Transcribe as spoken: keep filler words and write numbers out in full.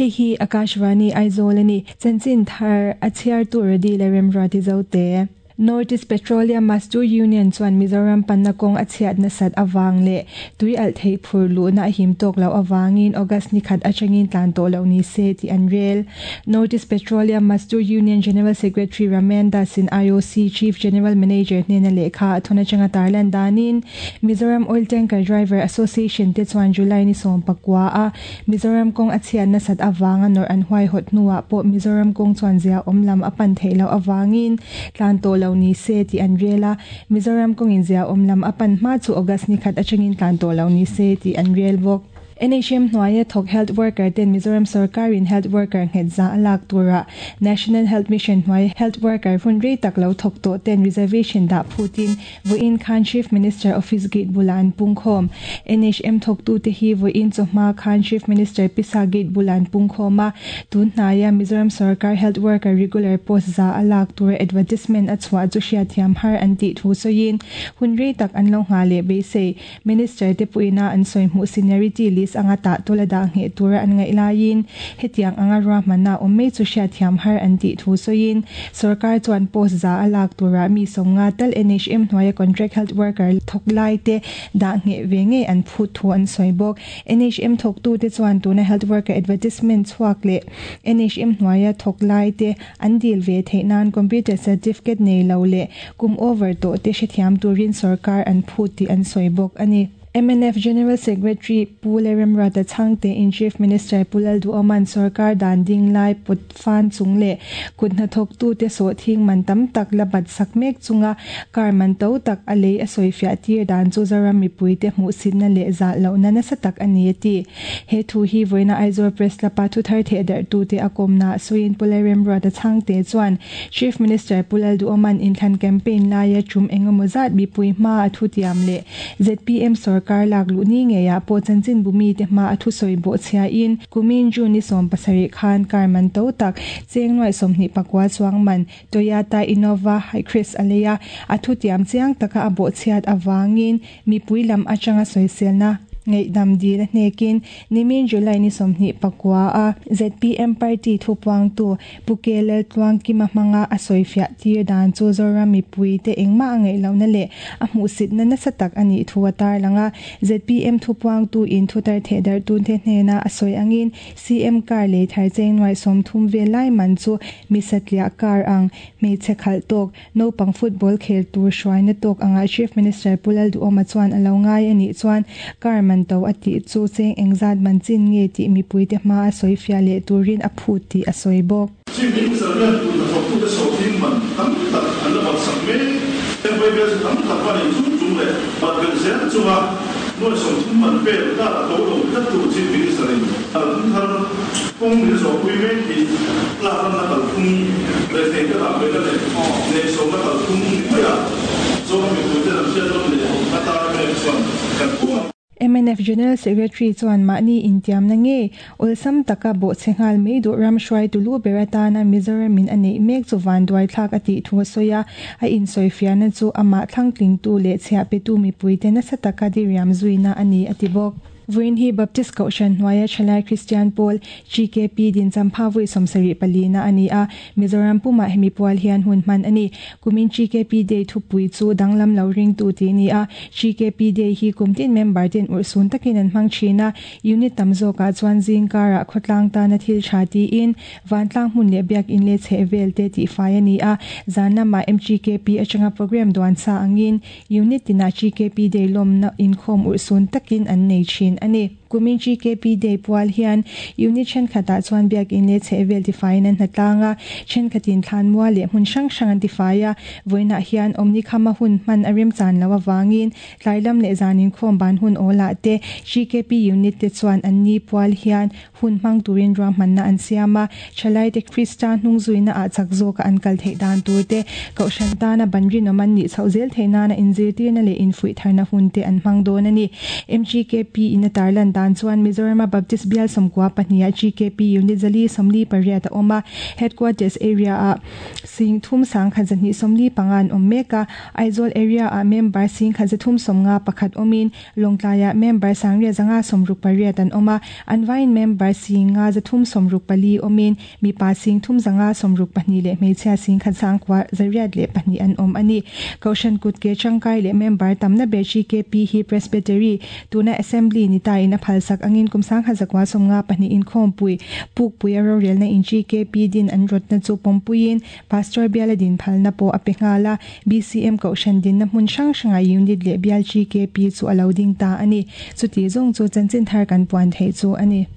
Hei hi Akashvani Aizawl ani chanchin thar a chhiar tu radi le remruati zote. North East Petroleum Mazdoor Union chuan Mizoram panna kawng a chhiat nasat awang le tui al thei phur lu na him tok lo awangin August ni khat atangin tlan to lo ni se ti an rel. North East Petroleum Mazdoor Union General Secretary Ramen Das in I O C Chief General Manager hnena lekha thona changa tarlan danin Mizoram Oil Tanker Driver Association te chuan July ni som pakwa a Mizoram kawng a chhiat nasat awanga nor an huai hot nuwa po Mizoram kawng chuan zia omlam apan thei lo awangin tlan to lo ni se ti an rela. Mizoram kong in zia omlam apan ma chu August ni khat achangin tlan to lo ni se ti an rel bok. N H M hnuaia thawk health worker ten Mizoram sarkarin health worker nghet za alak tura National Health Mission hnuai health worker hun rei tak lo thawk tawh ten reservation dah phutin vawiin khan Chief Minister Office Gate bulan pungkhawm. N H M thawk tu te hi vawiin chawhma khan Chief Minister Pisa Gate bulan pungkhawm a tun hnaia Mizoram sarkar health worker regular post za alak tura advertisement a chhuah chu hriatthiam har an tih thu sawiin hun rei tak an lo ngha leh beisei Minister te puina an sawi hmuh seniority list anga ta tola da nge tura an ngai lain hetiang anga ra mana omme chu sha thiam har an ti thu soin sarkar chuan post za alak tura mi songa tal N H M hnuaia contract health worker thok lai te da nge ve nge an phu thu an soibok. N H M thok tu te chuan tuna health worker advertisement chuak le N H M hnuaia thok lai te an dil ve theinan computer certificate nei lo le kum over to te she thiam turin sarkar an phu ti an soibok ani. M N F General Secretary Pu Leremruata Chhangte in Chief Minister Pu Lalduhoman sarkar dan ding lai put fan chung le kutna thawk tu te so thing man tam tak la bat sak mek chunga kar man to tak a lei a sawi fiah tir dan chu Zoram mipui te hmuh sinna leh zah lo na nasa tak ani ti. He thu hi voina Aizawl Press lapa thu thar the dar tu te a kawmna sawiin Pu Leremruata Chhangte chuan Chief Minister Pu Lalduhoman inthlan campaign laia chum engemaw zat mipui hma a thu tiam le Z P M sarkar lak lu ni nge ya po chanchin bumi te ma athu soi bo chhia in kumin juni som pasari khan karman to tak chengnuai somni pakwa chuang man Toyota Innova Hycross aleya athu tiam chiang taka abo chhiat awangin mipui lam atanga soiselna ngei dam dil hnekin nimin July ni somni pakwa a Z P M party thupuang tu pukelel tluang kima hmanga a soifia tir dan chu Zoram mipui te engma angai lo na le a hmuhsit na nasa tak ani thu atar langa Z P M thupuang tu in thutar thedar tun the hnena a soi angin C M kar le thar chengnuai som thum ve lai man chu misatlia kar ang hmeichhe khal tok naupang football khel tur hruaina tok anga Chief Minister Pu Lalduhoma chuan alo ngai ani chuan kar man to ati chu cheng engzat man chin nge ti mipui te hma a soi fia le turin a phu ti a soi bawk. Chief Minister hian tun thawk tu te so thing man tam tak an la bat sak me ten vai vel tam tak ban in chung chung le bat bel zel chunga nuai som thum man pel ka to lo tlat tu Chief Minister in al thum thar kawng min zo pui mek hi lak ram na kal phung le thei ka dah ve na le ne som na kal phung ni mai a Zoram mipui te lam hriat lam le a tar mek chuan kan pum. M N F General Secretary chuan mahni intiam na nge awlsam taka bo chenghal mei du ram hruai tulu beratana Mizoram in anei mek chu van duai thlak ati thu soya a in soifiana chu ama thlangtling tu le chhia pe tu mipui te nasa taka diriam zuina ani ati bawk. Vawiin hi Baptist Kohhran hnuaia Thalai Christian Pawl G K P din champha vui sawmsarih palina ani a Mizoram pumah hemi pual hian hun hman ani. Kumin G K P Day thupui chu danglam lo ring tu ti ni a G K P Day hi kumtin member ten ursun takin an hmang thina unit tam zawkah chuan zingkarah khawtlang tana thil tha tiin vantlang hmun leh biak in le chheh vel te tih fai ani a zan lamah M G K P atanga program duan sa angin unit tinah G K P Day lawmna inkhawm ursun takin an nei thin ani. Kumin G K P Day pual hian unit thenkhatah chuan biak in le chheh vel ti faiin an hnatlanga thenkhatin thlan mua leh hmun hrang hrang an ti fai a vawiinah hian awmni khama hun hman a rem chan lo awangin tlai lam leh zanin khawm ban hun awlah te G K P unit te chuan an ni pual hian hun hmang turin ruahmanna an siam a thalai te Krista hnung zuina ah chak zawka an kal theih dan tur te kohhran tana ban rinawm an nih chhoh zel theih nana inzirtirna leh infuih tharna hun te an hmang dawn ani. M G K P in a tarlan dan chuan Mizoram Baptist Bial sawmkua pahnih ah G K P Unit zali sawmli pariat a awm a. Headquarters area ah sing thum sang khat zahnih sawmli panga an awm mek a. Aizawl area ah member sing khat zathum sawmnga pakhat awmin Lawngtlai ah member sangriat zanga sawmruk pariat an awm a. An vaiin member sing nga zathum sawmruk pali awmin mipa sing thum zanga sawmruk pahnih leh hmeichhia sing khat sangkua zariat leh pahnih an awm ani. Kohhran kut ke tangkai leh member tamna ber G K P hi Presbytery, tuna Assembly ni ta in a phalsak angin kum sangkhat zakua sawmnga pahnih inkhawmpui Pukpui a rorelna in G K P din an rawtna chu pawmpuiin Pastor biala din phalna pawh a pe nghal a. B C M kohhran dinna hmun hrang hranga unit leh bial G K P chu a lo ding ta ani. Chuti zawng chu chanchin thar kan puan theih chu ani.